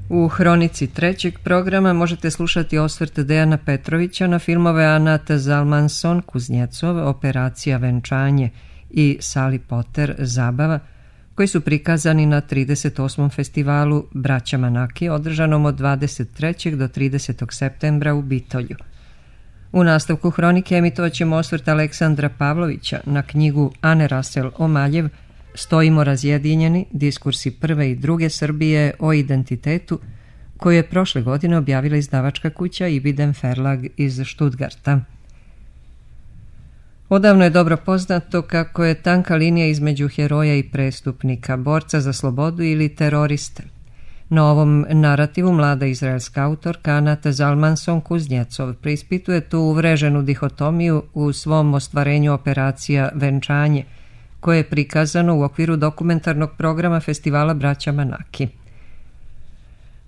U hronici trećeg programa možete slušati osvrt Dejana Petrovića na filmove Anat Zalmanson Kuznjecov, Operacija venčanje i Sally Potter Zabava, koji su prikazani na 38. festivalu Braća Manaki, održanom od 23. do 30. septembra u Bitolju. U nastavku hronike emitovat ćemo osvrt Aleksandra Pavlovića na knjigu Ane Rasel Omaljev Stojimo razjedinjeni, diskursi prve i druge Srbije o identitetu, koju je prošle godine objavila izdavačka kuća Ibiden Verlag iz Stuttgarta. Odavno je dobro poznato kako je tanka linija između heroja i prestupnika, borca za slobodu ili teroriste. Na ovom narativu mlada izraelska autorka Anat Zalmanson Kuznjecov preispituje tu uvreženu dihotomiju u svom ostvarenju Operacija venčanje, koje je prikazano u okviru dokumentarnog programa festivala Braća Manaki.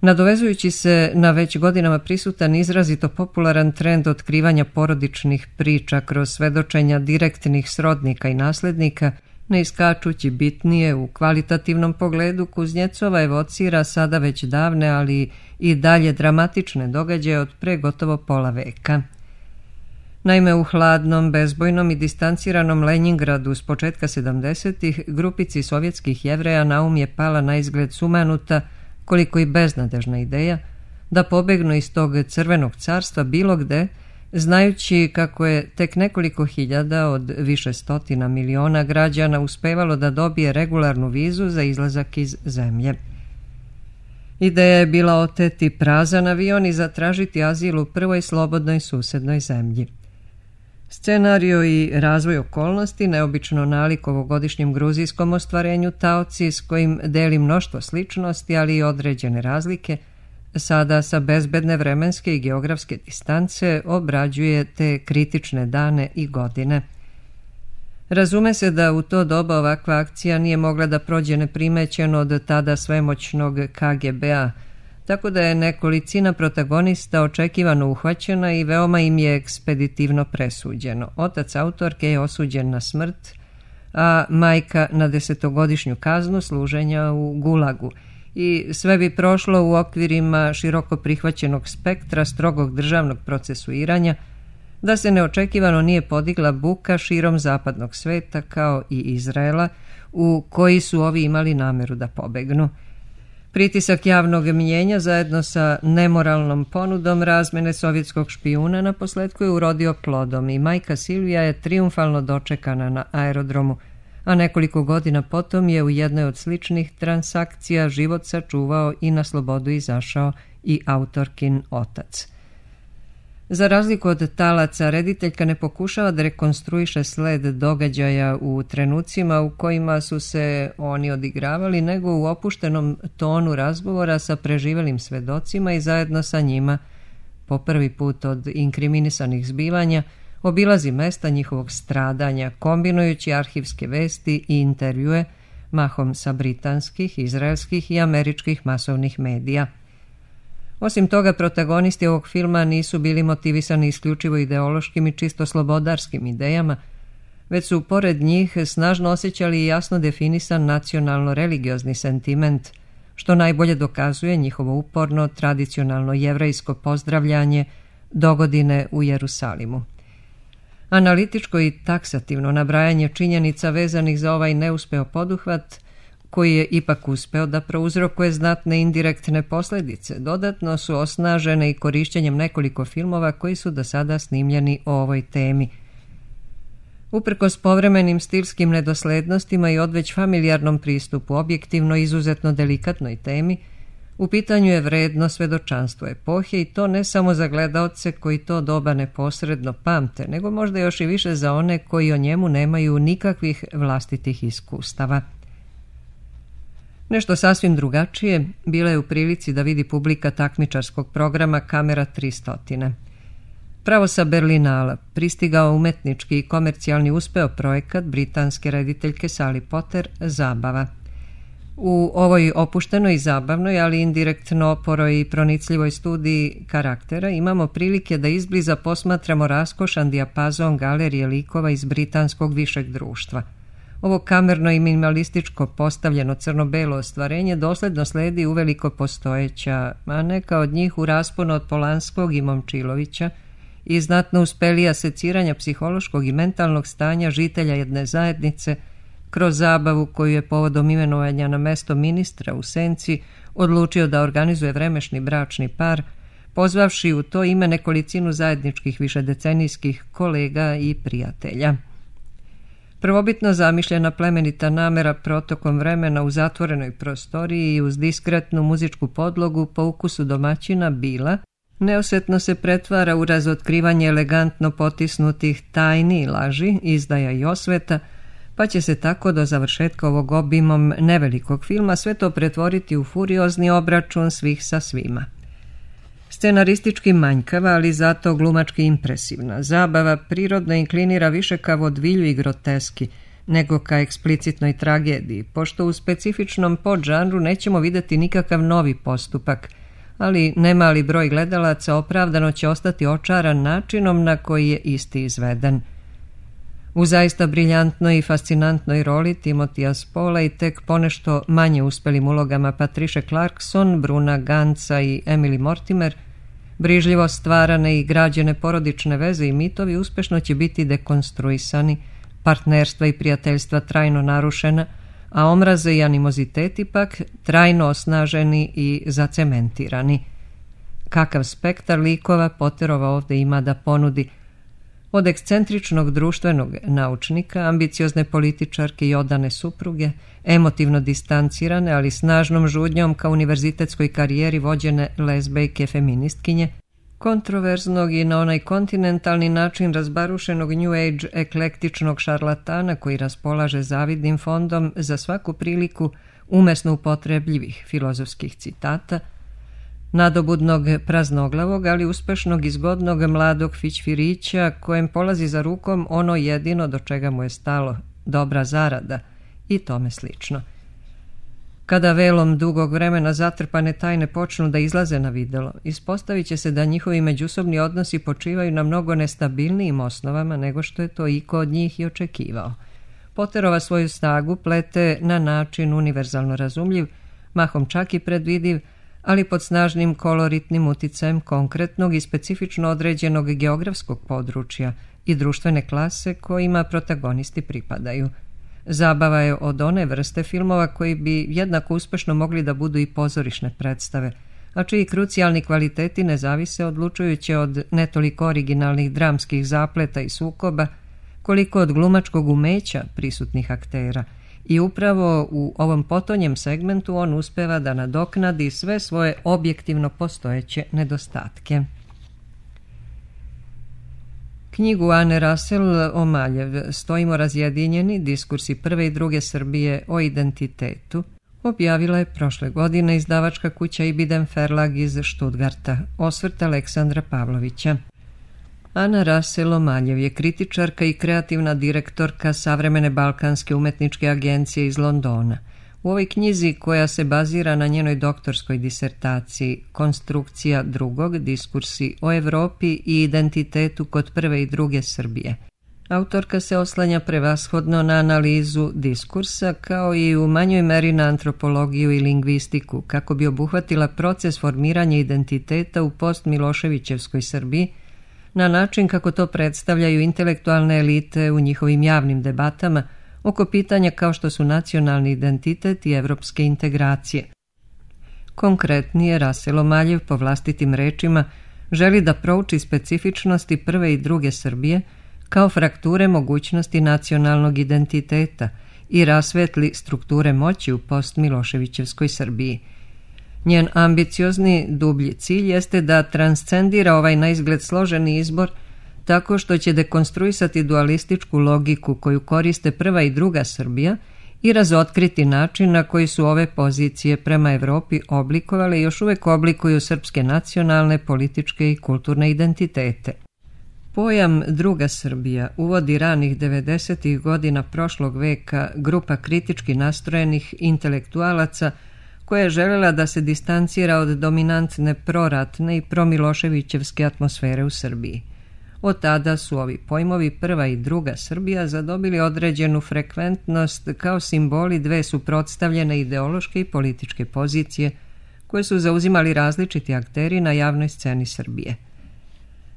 Nadovezujući se na već godinama prisutan izrazito popularan trend otkrivanja porodičnih priča kroz svedočenja direktnih srodnika i naslednika, ne iskačući bitnije u kvalitativnom pogledu, Kuznjecova evocira sada već davne, ali i dalje dramatične događaje od pre gotovo pola veka. Naime, u hladnom, bezbojnom i distanciranom Lenjingradu s početka 70-ih grupici sovjetskih Jevreja na um je pala na izgled sumanuta, koliko i beznadežna ideja, da pobegnu iz tog crvenog carstva bilo gde, znajući kako je tek nekoliko hiljada od više stotina miliona građana uspevalo da dobije regularnu vizu za izlazak iz zemlje. Ideja je bila oteti prazan avion i zatražiti azil u prvoj slobodnoj susednoj zemlji. Scenario i razvoj okolnosti, neobično nalik ovogodišnjem gruzijskom ostvarenju taoci s kojim deli mnoštvo sličnosti, ali i određene razlike, sada sa bezbedne vremenske i geografske distance obrađuje te kritične dane i godine. Razume se da u to doba ovakva akcija nije mogla da prođe neprimećeno od tada svemoćnog KGB-a, tako da je nekolicina protagonista očekivano uhvaćena i veoma im je ekspeditivno presuđeno. Otac autorke je osuđen na smrt, a majka na 10-godišnju kaznu služenja u Gulagu. I sve bi prošlo u okvirima široko prihvaćenog spektra strogog državnog procesuiranja, da se neočekivano nije podigla buka širom zapadnog sveta kao i Izraela, u koji su ovi imali nameru da pobegnu. Pritisak javnog mnjenja zajedno sa nemoralnom ponudom razmene sovjetskog špijuna naposletku je urodio plodom i majka Silvija je trijumfalno dočekana na aerodromu, a nekoliko godina potom je u jednoj od sličnih transakcija život sačuvao i na slobodu izašao i autorkin otac. Za razliku od talaca, rediteljka ne pokušava da rekonstruiše sled događaja u trenucima u kojima su se oni odigravali, nego u opuštenom tonu razgovora sa preživelim svedocima i zajedno sa njima, po prvi put od inkriminisanih zbivanja, obilazi mesta njihovog stradanja, kombinujući arhivske vesti i intervjue, mahom sa britanskih, izraelskih i američkih masovnih medija. Osim toga, protagonisti ovog filma nisu bili motivisani isključivo ideološkim i čisto slobodarskim idejama, već su pored njih snažno osjećali i jasno definisan nacionalno-religiozni sentiment, što najbolje dokazuje njihovo uporno, tradicionalno jevrejsko pozdravljanje dogodine u Jerusalimu. Analitičko i taksativno nabrajanje činjenica vezanih za ovaj neuspeo poduhvat, koji je ipak uspeo da prouzrokuje znatne indirektne posljedice, dodatno su osnažene i korišćenjem nekoliko filmova koji su do sada snimljeni o ovoj temi. Uprkos povremenim stilskim nedoslednostima i odveć familijarnom pristupu objektivno izuzetno delikatnoj temi, u pitanju je vredno svedočanstvo epohe i to ne samo za gledaoce koji to doba neposredno pamte, nego možda još i više za one koji o njemu nemaju nikakvih vlastitih iskustava. Nešto sasvim drugačije bila je u prilici da vidi publika takmičarskog programa Kamera 300. Pravo sa Berlinala pristigao umetnički i komercijalni uspeo projekat britanske rediteljke Sally Potter Zabava. U ovoj opuštenoj i zabavnoj, ali indirektno oporoj i pronicljivoj studiji karaktera imamo prilike da izbliza posmatramo raskošan dijapazon galerije likova iz britanskog višeg društva. Ovo kamerno i minimalističko postavljeno crno-belo ostvarenje dosledno sledi uveliko postojeća, a neka od njih u rasponu od Polanskog i Momčilovića i znatno uspelija seciranja psihološkog i mentalnog stanja žitelja jedne zajednice kroz zabavu koju je povodom imenovanja na mesto ministra u Senci odlučio da organizuje vremešni bračni par, pozvavši u to ime nekolicinu zajedničkih višedecenijskih kolega i prijatelja. Prvobitno zamišljena plemenita namera protokom vremena u zatvorenoj prostoriji i uz diskretnu muzičku podlogu po ukusu domaćina bila, neosjetno se pretvara u razotkrivanje elegantno potisnutih tajni i laži, izdaja i osveta, pa će se tako do završetka ovog obimom nevelikog filma sve to pretvoriti u furiozni obračun svih sa svima. Scenaristički manjkava, ali zato glumački impresivna. Zabava prirodno inklinira više ka vodvilju i groteski, nego ka eksplicitnoj tragediji, pošto u specifičnom podžanru nećemo vidjeti nikakav novi postupak, ali nemali broj gledalaca opravdano će ostati očaran načinom na koji je isti izveden. U zaista briljantnoj i fascinantnoj roli Timothea Spala i tek ponešto manje uspelim ulogama Patricia Clarkson, Bruna Ganca i Emily Mortimer, brižljivo stvarane i građene porodične veze i mitovi uspešno će biti dekonstruisani, partnerstva i prijateljstva trajno narušena, a omraze i animoziteti pak trajno osnaženi i zacementirani. Kakav spektar likova Potterova ovdje ima da ponudi, od ekscentričnog društvenog naučnika, ambiciozne političarke i odane supruge, emotivno distancirane, ali snažnom žudnjom ka univerzitetskoj karijeri vođene lezbejke feministkinje, kontroverznog i na onaj kontinentalni način razbarušenog New Age eklektičnog šarlatana koji raspolaže zavidnim fondom za svaku priliku umesno upotrebljivih filozofskih citata, nadobudnog praznoglavog, ali uspešnog i zgodnog mladog fićfirića kojem polazi za rukom ono jedino do čega mu je stalo, dobra zarada i tome slično. Kada velom dugog vremena zatrpane tajne počnu da izlaze na videlo, ispostavit će se da njihovi međusobni odnosi počivaju na mnogo nestabilnijim osnovama nego što je to iko od njih i očekivao. Potterova svoju snagu plete na način univerzalno razumljiv, mahom čak i predvidiv, ali pod snažnim koloritnim uticajem konkretnog i specifično određenog geografskog područja i društvene klase kojima protagonisti pripadaju. Zabava je od one vrste filmova koji bi jednako uspešno mogli da budu i pozorišne predstave, a čiji krucijalni kvaliteti ne zavise odlučujuće od netoliko originalnih dramskih zapleta i sukoba, koliko od glumačkog umeća prisutnih aktera. I upravo u ovom potonjem segmentu on uspeva da nadoknadi sve svoje objektivno postojeće nedostatke. Knjigu Ane Russell Omaljev Stojimo razjedinjeni, diskursi prve i druge Srbije o identitetu objavila je prošle godine izdavačka kuća Ibidem Verlag iz Stuttgarta, osvrt Aleksandra Pavlovića. Ana Russell Omaljev je kritičarka i kreativna direktorka Savremene balkanske umetničke agencije iz Londona. U ovoj knjizi, koja se bazira na njenoj doktorskoj disertaciji Konstrukcija drugog, diskursi o Evropi i identitetu kod prve i druge Srbije, autorka se oslanja prevashodno na analizu diskursa kao i u manjoj meri na antropologiju i lingvistiku kako bi obuhvatila proces formiranja identiteta u post-Miloševićevskoj Srbiji na način kako to predstavljaju intelektualne elite u njihovim javnim debatama oko pitanja kao što su nacionalni identitet i evropske integracije. Konkretnije, Russell Omaljev po vlastitim rečima želi da prouči specifičnosti prve i druge Srbije kao frakture mogućnosti nacionalnog identiteta i rasvetli strukture moći u post-Miloševićevskoj Srbiji. Njen ambiciozni dublji cilj jeste da transcendira ovaj naizgled složeni izbor tako što će dekonstruisati dualističku logiku koju koriste prva i druga Srbija i razotkriti način na koji su ove pozicije prema Evropi oblikovale i još uvek oblikuju srpske nacionalne, političke i kulturne identitete. Pojam druga Srbija uvodi ranih 90. godina prošlog veka grupa kritički nastrojenih intelektualaca koja je željela da se distancira od dominantne proratne i promiloševićevske atmosfere u Srbiji. Od tada su ovi pojmovi prva i druga Srbija zadobili određenu frekventnost kao simboli dve suprotstavljene ideološke i političke pozicije koje su zauzimali različiti akteri na javnoj sceni Srbije.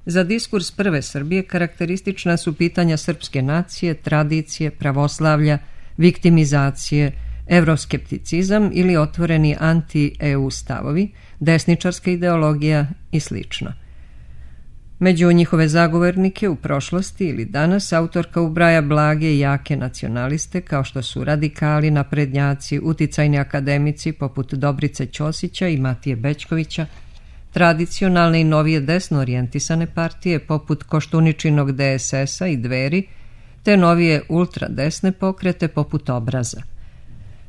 Za diskurs prve Srbije karakteristična su pitanja srpske nacije, tradicije, pravoslavlja, viktimizacije, evroskepticizam ili otvoreni anti-EU stavovi, desničarska ideologija i sl. Među njihove zagovornike u prošlosti ili danas autorka ubraja blage i jake nacionaliste kao što su radikali, naprednjaci, uticajni akademici poput Dobrice Ćosića i Matije Bećkovića, tradicionalne i novije desno orijentisane partije poput Koštuničinog DSS-a i Dveri, te novije ultradesne pokrete poput Obraza.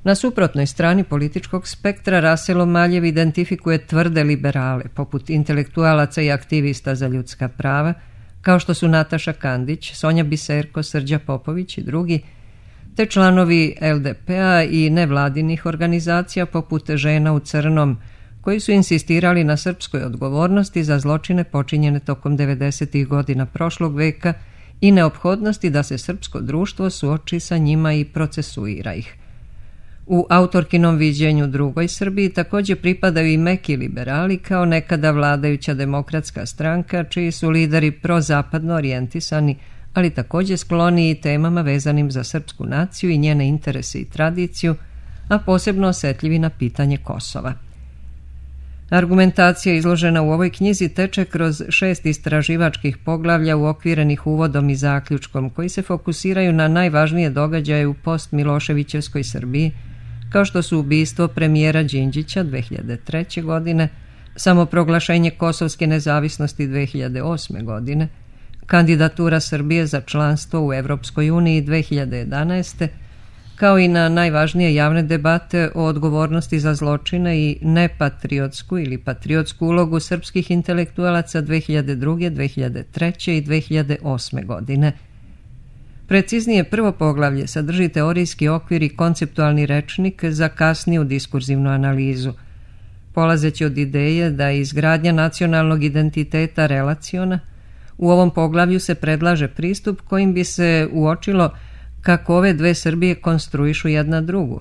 Na suprotnoj strani političkog spektra Raselo Maljev identifikuje tvrde liberale, poput intelektualaca i aktivista za ljudska prava, kao što su Nataša Kandić, Sonja Biserko, Srđa Popović i drugi, te članovi LDP-a i nevladinih organizacija poput Žena u crnom, koji su insistirali na srpskoj odgovornosti za zločine počinjene tokom 90. godina prošlog veka i neophodnosti da se srpsko društvo suoči sa njima i procesuira ih. U autorkinom viđenju drugoj Srbiji također pripadaju i meki liberali kao nekada vladajuća demokratska stranka, čiji su lideri prozapadno orijentisani, ali također skloni i temama vezanim za srpsku naciju i njene interese i tradiciju, a posebno osjetljivi na pitanje Kosova. Argumentacija izložena u ovoj knjizi teče kroz 6 istraživačkih poglavlja uokvirenih uvodom i zaključkom koji se fokusiraju na najvažnije događaje u post-Miloševićevskoj Srbiji, kao što su ubistvo premijera Đinđića 2003. godine, samoproglašenje kosovske nezavisnosti 2008. godine, kandidatura Srbije za članstvo u Evropskoj uniji 2011. kao i na najvažnije javne debate o odgovornosti za zločine i nepatriotsku ili patriotsku ulogu srpskih intelektualaca 2002., 2003. i 2008. godine. Preciznije, prvo poglavlje sadrži teorijski okvir i konceptualni rečnik za kasniju diskurzivnu analizu. Polazeći od ideje da je izgradnja nacionalnog identiteta relaciona, u ovom poglavlju se predlaže pristup kojim bi se uočilo kako ove dve Srbije konstruišu jedna drugu.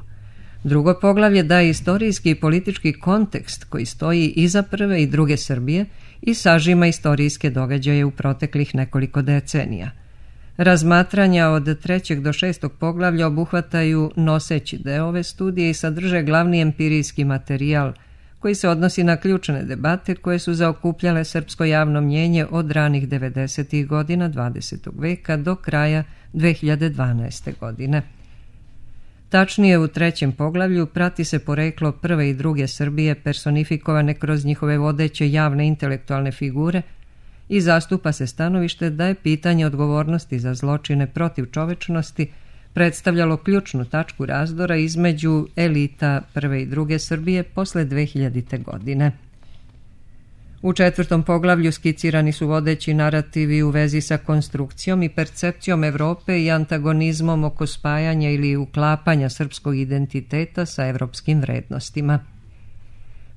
Drugo poglavlje daje istorijski i politički kontekst koji stoji iza prve i druge Srbije i sažima istorijske događaje u proteklih nekoliko decenija. Razmatranja od 3. do 6. poglavlja obuhvataju noseći deo ove studije i sadrže glavni empirijski materijal koji se odnosi na ključne debate koje su zaokupljale srpsko javno mnjenje od ranih 90. godina 20. veka do kraja 2012. godine. Tačnije, u 3. poglavlju prati se poreklo prve i druge Srbije personifikovane kroz njihove vodeće javne intelektualne figure i zastupa se stanovište da je pitanje odgovornosti za zločine protiv čovečnosti predstavljalo ključnu tačku razdora između elita prve i druge Srbije posle 2000. godine. U 4. poglavlju skicirani su vodeći narativi u vezi sa konstrukcijom i percepcijom Evrope i antagonizmom oko spajanja ili uklapanja srpskog identiteta sa evropskim vrednostima.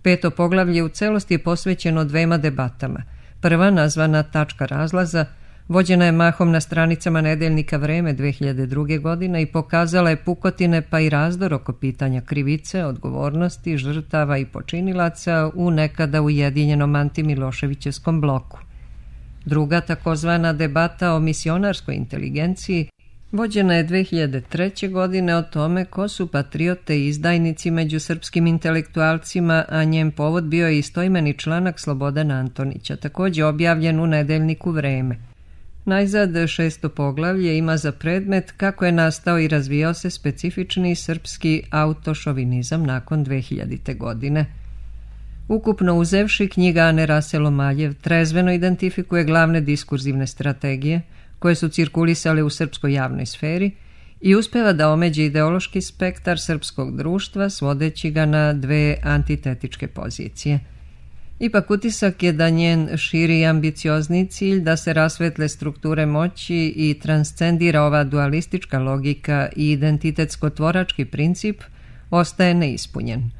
5. poglavlje u celosti je posvećeno dvema debatama. Prva, nazvana Tačka razlaza, vođena je mahom na stranicama nedeljnika Vreme 2002. godine i pokazala je pukotine pa i razdor oko pitanja krivice, odgovornosti, žrtava i počinilaca u nekada ujedinjenom antimiloševićevskom bloku. Druga, takozvana debata o misionarskoj inteligenciji, vođena je 2003. godine o tome ko su patriote i izdajnici među srpskim intelektualcima, a njen povod bio je istoimeni članak Slobodana Antonića, također objavljen u nedeljniku Vreme. Najzad 6. poglavlje ima za predmet kako je nastao i razvijao se specifični srpski autošovinizam nakon 2000. godine. Ukupno uzevši, knjiga Ane Raselo Maljev trezveno identifikuje glavne diskurzivne strategije koje su cirkulisale u srpskoj javnoj sferi i uspeva da omeđe ideološki spektar srpskog društva svodeći ga na dve antitetičke pozicije. Ipak utisak je da njen širi i ambiciozni cilj da se rasvetle strukture moći i transcendira ova dualistička logika i identitetsko-tvorački princip ostaje neispunjen.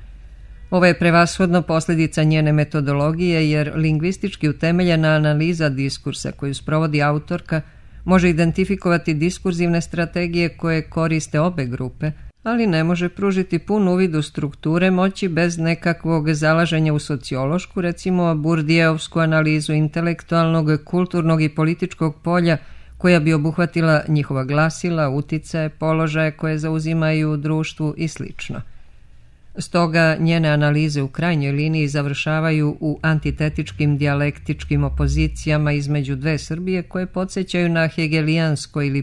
Ovo je prevashodno posljedica njene metodologije, jer lingvistički utemeljena analiza diskursa koju sprovodi autorka može identifikovati diskurzivne strategije koje koriste obe grupe, ali ne može pružiti pun uvid u strukture moći bez nekakvog zalaženja u sociološku, recimo Burdijevsku analizu intelektualnog, kulturnog i političkog polja koja bi obuhvatila njihova glasila, uticaje, položaje koje zauzimaju u društvu i sl. Stoga njene analize u krajnjoj liniji završavaju u antitetičkim dijalektičkim opozicijama između dve Srbije koje podsjećaju na hegelijansko ili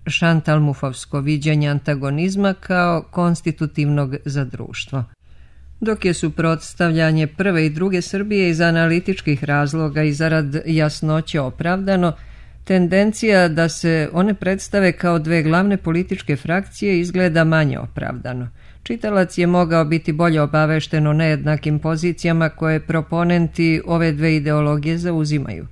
šantalmufovsko viđenje antagonizma kao konstitutivnog za društvo. Dok je suprotstavljanje prve i druge Srbije iz analitičkih razloga i zarad jasnoće opravdano, tendencija da se one predstave kao dve glavne političke frakcije izgleda manje opravdano. Čitalac je mogao biti bolje obavešten o nejednakim pozicijama koje proponenti ove dve ideologije zauzimaju.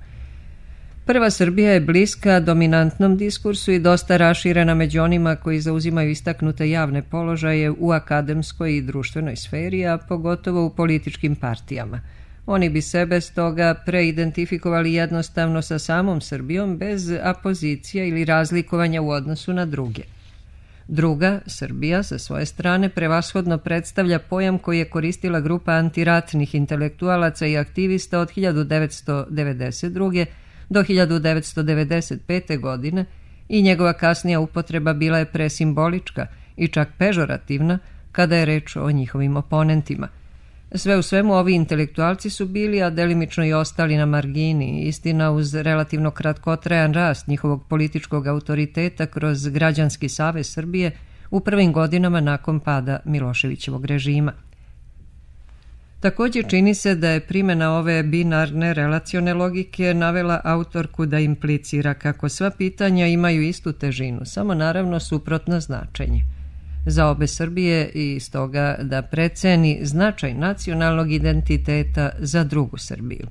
Prva Srbija je bliska dominantnom diskursu i dosta raširena među onima koji zauzimaju istaknute javne položaje u akademskoj i društvenoj sferi, a pogotovo u političkim partijama. Oni bi sebe stoga preidentifikovali jednostavno sa samom Srbijom bez apozicija ili razlikovanja u odnosu na druge. Druga, Srbija, sa svoje strane prevashodno predstavlja pojam koji je koristila grupa antiratnih intelektualaca i aktivista od 1992. do 1995. godine i njegova kasnija upotreba bila je presimbolička i čak pežorativna kada je reč o njihovim oponentima. Sve u svemu ovi intelektualci su bili, a delimično i ostali na margini, istina uz relativno kratkotrajan rast njihovog političkog autoriteta kroz Građanski savez Srbije u prvim godinama nakon pada Miloševićevog režima. Također čini se da je primjena ove binarne relacione logike navela autorku da implicira kako sva pitanja imaju istu težinu, samo naravno suprotno značenje. Za obe Srbije i stoga da preceni značaj nacionalnog identiteta za drugu Srbiju.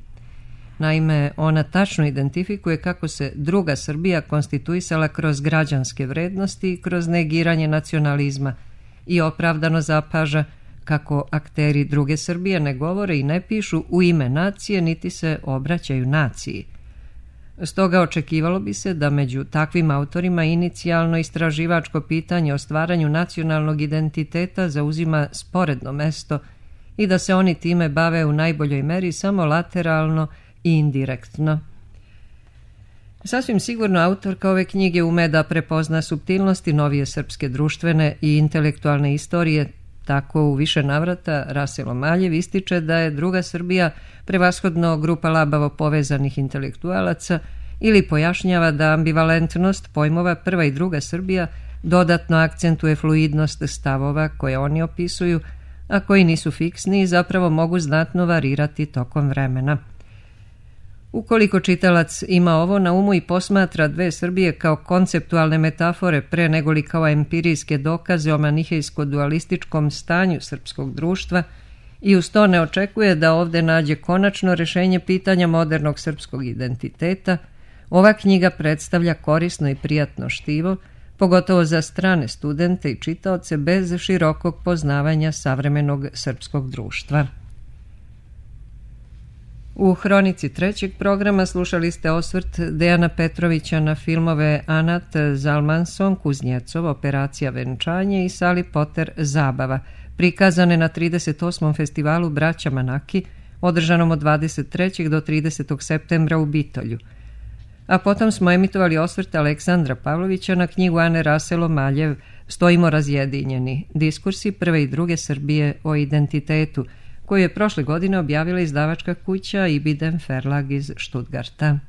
Naime, ona tačno identifikuje kako se druga Srbija konstituisala kroz građanske vrednosti i kroz negiranje nacionalizma i opravdano zapaža kako akteri druge Srbije ne govore i ne pišu u ime nacije niti se obraćaju naciji. Stoga očekivalo bi se da među takvim autorima inicijalno istraživačko pitanje o stvaranju nacionalnog identiteta zauzima sporedno mesto i da se oni time bave u najboljoj meri samo lateralno i indirektno. Sasvim sigurno autorka ove knjige ume da prepozna suptilnosti novije srpske društvene i intelektualne istorije. Tako u više navrata Raselo Maljev ističe da je druga Srbija prevashodno grupa labavo povezanih intelektualaca ili pojašnjava da ambivalentnost pojmova prva i druga Srbija dodatno akcentuje fluidnost stavova koje oni opisuju, a koji nisu fiksni i zapravo mogu znatno varirati tokom vremena. Ukoliko čitalac ima ovo na umu i posmatra dve Srbije kao konceptualne metafore pre negoli kao empirijske dokaze o manihejsko-dualističkom stanju srpskog društva i uz to ne očekuje da ovde nađe konačno rešenje pitanja modernog srpskog identiteta, ova knjiga predstavlja korisno i prijatno štivo, pogotovo za strane studente i čitaoce bez širokog poznavanja savremenog srpskog društva. U hronici trećeg programa slušali ste osvrt Dejana Petrovića na filmove Anat Zalmanson, Kuznjecov, Operacija venčanje i Sally Potter Zabava, prikazane na 38. festivalu Braća Manaki, održanom od 23. do 30. septembra u Bitolju. A potom smo emitovali osvrt Aleksandra Pavlovića na knjigu Ane Raselo Maljev Stojimo razjedinjeni, diskursi prve i druge Srbije o identitetu, koju je prošle godine objavila izdavačka kuća Ibidem Verlag iz Stuttgarta.